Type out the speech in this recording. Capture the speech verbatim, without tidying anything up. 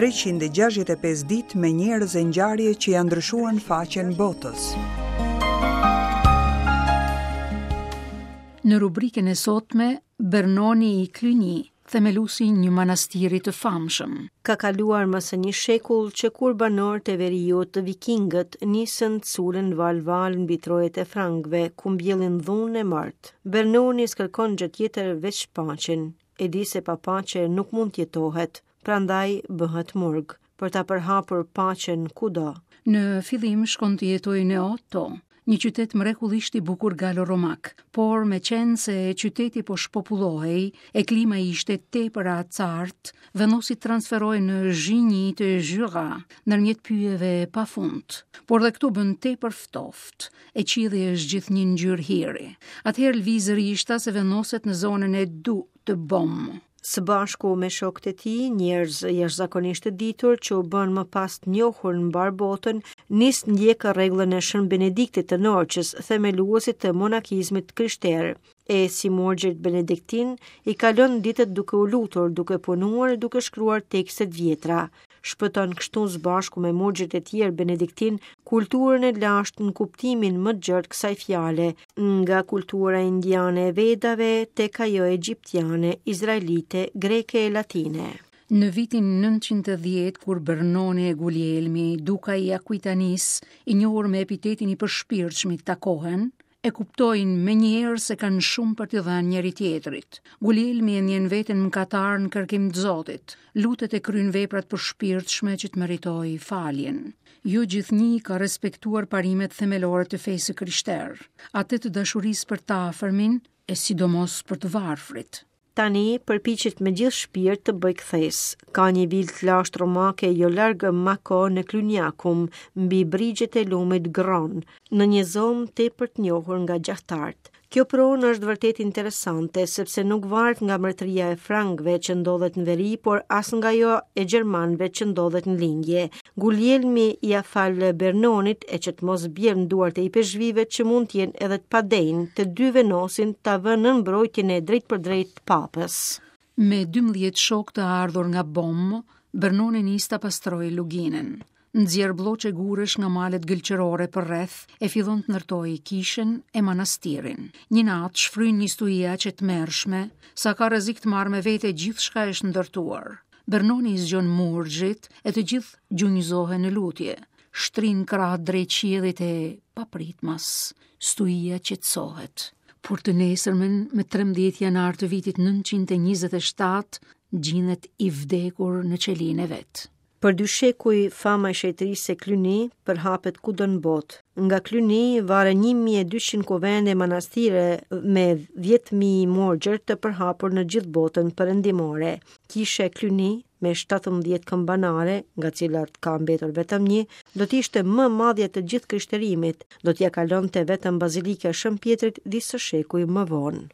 treqind e gjashtëdhjetë e pesë ditë me njerëz e ngjarje që janë ndryshuar në faqen botës. Në rubrikën e sotme, Bernoni i Cluny, themelusi një manastiri të famshëm. Ka kaluar më se një shekull që kur banorët e veriut të vikingët nisën culën val-val mbi trojet e frankëve, ku mbjellin dhunë e mort. Bernoni s'kërkon gjë tjetër veç paqen. E di se pa paqe nuk mund t'jetohet, prandaj bëhet murg, për ta përhapur paqen kudo. Në fillim shkon të jetojë në Otto, një qytet mrekullisht i bukur galo-romak, por me qenë se qyteti po shpopullohej e klima ishte tepër e acartë, vendosi të transferojë në Zhinji të Jura, ndërmjet pyjeve pafund. Por dhe këtu bën tepër ftohtë, e qielli është gjithnjë ngjyrë hiri. Atëherë lëviz rishta se vendoset në zonën e Du të Bom. Së bashku me shokët e tij, njerëz jashtëzakonisht të ditur që u bën më pas të njohur në mbar botën, nis ndjek rregullën e Shën Benediktit të Norçës, themeluesit të monakizmit krishter, e si murgjit benediktin i kalon ditët duke u lutur, duke punuar e duke shkruar tekstet vjetra. Shpëton kështu së bashku me murgjit e tjerë benediktin kulturën e lashtë në kuptimin më të gjerë të kësaj fjale, nga kultura indiane e Vedave tek ajo egjiptiane, izraelite, greke e latine. Në vitin nëntëqind e dhjetë, kur Bernoni e Guglielmi, duka i Aquitanis, i njohur me epitetin i përshpirtshmit, takohen, e kuptojnë me njëherë se kanë shumë për t'i dhënë njëri tjetrit. Guglielmi e ndjen veten mëkatar në kërkim të Zotit, lutet e kryen veprat përshpirtshme që të meritojë faljen. Jo gjithnjë ka respektuar parimet themelore të fesë krishterë, atë të dashurisë për të afërmin e sidomos për të varfrit. Tani përpiqet me gjithë shpirt të bëj kthesë. Ka një vilë të lashtë romake jo larg Mako në Cluniacum, mbi brigjet e lumit Gron, në një zonë tepër të njohur nga gjahtarët. Kjo pronë është vërtet interesante, sepse nuk varet nga mbretëria e frankëve që ndodhet në veri, por as nga ajo e gjermanëve që ndodhet në lindje. Guglielmi ia fal Bernonit e që të mos bjerë në duart e ipeshvive që mund të jenë edhe të padenjë, të dy vendosin ta vënë në mbrojtjen e drejtpërdrejt të papës. Me dymbëdhjetë shok të ardhur nga Bom, Bernoni nis ta pastrojë luginën. Nxjerr blloqe gurësh nga malet gëlqerore për rreth e fillon të ndërtojë kishën e manastirin. Një natë shfryn një stuhi aq e tmerrshme sa ka rrezik të marrë me vete gjithçka është ndërtuar. Bernoni i zgjon murgjit e të gjithë gjunjëzohen në lutje. Shtrin krahët drejt qiellit e papritmas, stuhia qetësohet. Por të nesërmen, me trembëdhjetë janar të vitit nëntëqind e njëzet e shtatë, gjinet i vdekur në qelinë e vet. Për dy shekuj, fama e shenjtërisë së Cluny përhapet kudo në botë. Nga Cluny varen një mijë e dyqind kuvende manastire me dhjetë mijë murgjër të përhapur në gjithë botën perëndimore. Kisha e Cluny me shtatëmbëdhjetë këmbanare, nga cilat ka mbetur vetëm një, do të ishte më madhja të gjithë krishterimit, do t'ia kalonte vetëm Bazilika e Shën Pjetrit disa shekuj më vonë.